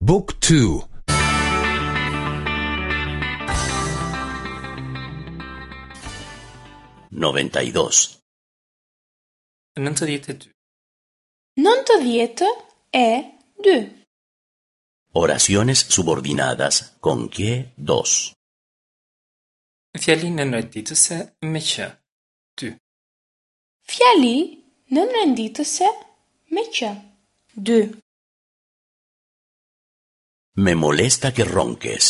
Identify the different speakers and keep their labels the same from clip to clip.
Speaker 1: บุ๊กทู
Speaker 2: 92.
Speaker 3: 92.
Speaker 4: 92.
Speaker 2: Oraciones subordinadas con que dos.
Speaker 3: Fjali nënrenditëse me që. 2.
Speaker 4: Fjali nënrenditëse me që. 2.
Speaker 2: Me molesta que ronques.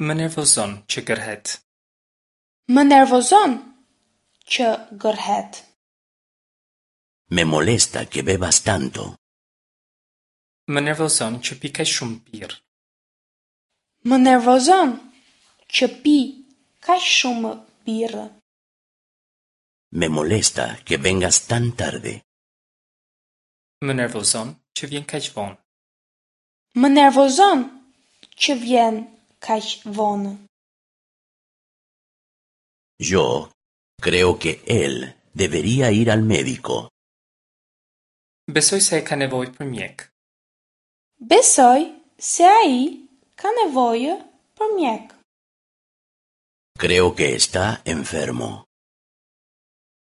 Speaker 3: Më nervozon që gërhet.
Speaker 4: Më nervozon që gërhet.
Speaker 2: Me molesta que bebas tanto.
Speaker 3: Më nervozon që pi kaq shumë birrë.
Speaker 4: Më nervozon që pi kaq shumë birrë.
Speaker 2: Me molesta que vengas tan tarde.
Speaker 3: Më nervozon që vjen kaq vonë.
Speaker 4: Më nervozon që vjen kaq vonë.
Speaker 2: Yo creo que él debería ir al médico.
Speaker 3: Besoj se ai ka nevojë për mjek.
Speaker 4: Besoj se ai ka nevojë për mjek.
Speaker 2: Creo que está enfermo.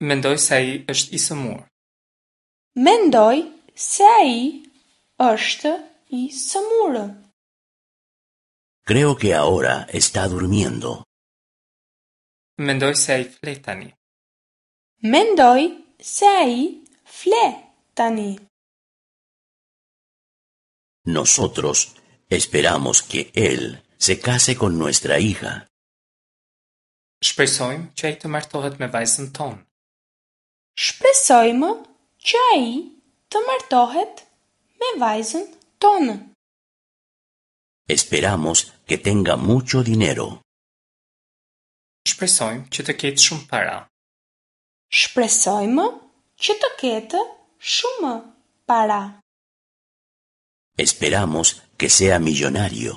Speaker 3: Mendoj se ai është i sëmurë.
Speaker 4: Mendoj se ai është i sëmurë.
Speaker 2: Creo que ahora está durmiendo.
Speaker 3: Mendoj se ai fle tani.
Speaker 4: Mendoj se ai fle tani.
Speaker 2: Nosotros esperamos que él se case con nuestra hija.
Speaker 3: Shpresojmë që ai të martohet me vajzën tonë.
Speaker 4: Shpresojmë që ai të martohet me vajzën tonë.
Speaker 2: Esperamos que tenga mucho dinero.
Speaker 3: Shpresojmë që të ketë shumë para.
Speaker 4: Shpresojmë që të ketë shumë para.
Speaker 2: Esperamos que sea millonario.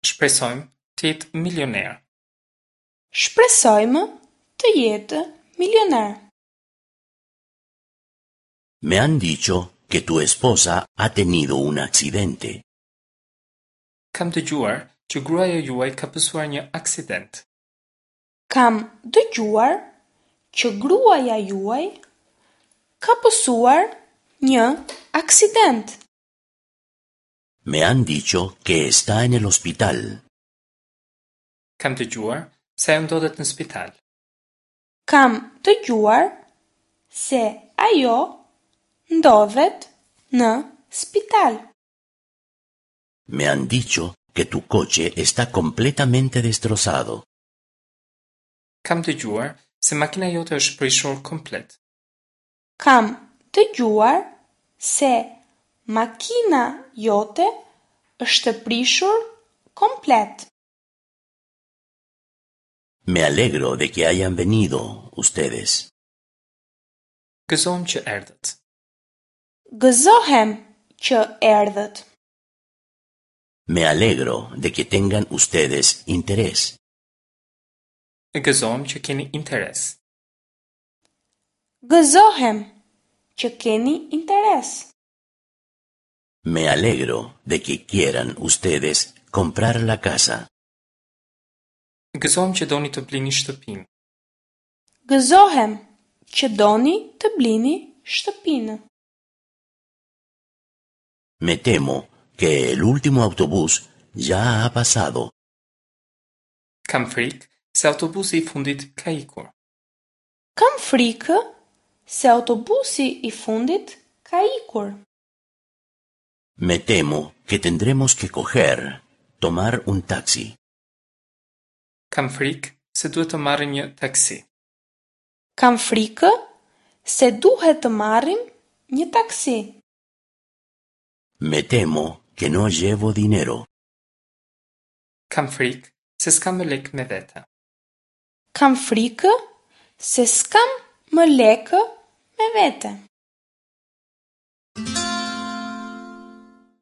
Speaker 3: Shpresojmë të jetë milioner.
Speaker 4: Shpresojmë të jetë milioner.
Speaker 2: Me han dicho que tu esposa ha tenido un accidente.
Speaker 3: Kam dëgjuar që gruaja juaj ka pësuar një aksident.
Speaker 4: Kam dëgjuar që gruaja juaj ka pësuar një aksident.
Speaker 2: Me han dicho que está en el hospital.
Speaker 3: Kam dëgjuar se ajo ndodhet në spital.
Speaker 4: Kam dëgjuar se ajo ndodhet në spital.
Speaker 2: Me han dicho que tu coche está completamente destrozado.
Speaker 3: Kam dëgjuar se makina jote është prishur komplet.
Speaker 4: Kam dëgjuar se makina jote është prishur komplet.
Speaker 2: Me alegro de que hayan venido ustedes.
Speaker 3: Gëzohem që erdhët.
Speaker 4: Gëzohem që erdhët.
Speaker 2: Me alegro de que tengan ustedes interés.
Speaker 3: Gëzohem që keni interes.
Speaker 4: Gëzohem që keni interes.
Speaker 2: Me alegro de que quieran ustedes comprar la casa.
Speaker 3: Gëzohem që doni të blini shtëpinë.
Speaker 4: Gëzohem që doni të blini shtëpinë.
Speaker 2: Me temo que el último autobús ya ha pasado.
Speaker 3: Kam frikë se autobusi i fundit ka ikur.
Speaker 4: Kam frikë se autobusi i fundit ka ikur.
Speaker 2: Me temo que tendremos que coger, tomar un taxi.
Speaker 3: Kam frikë se duhet të marrim një taksi.
Speaker 4: Kam frikë se duhet të marrim një taksi.
Speaker 2: Me temo que no llevo dinero.
Speaker 3: Kam frikë se s'kam më lekë me vete.
Speaker 4: Kam frikë se s'kam më lekë me vete.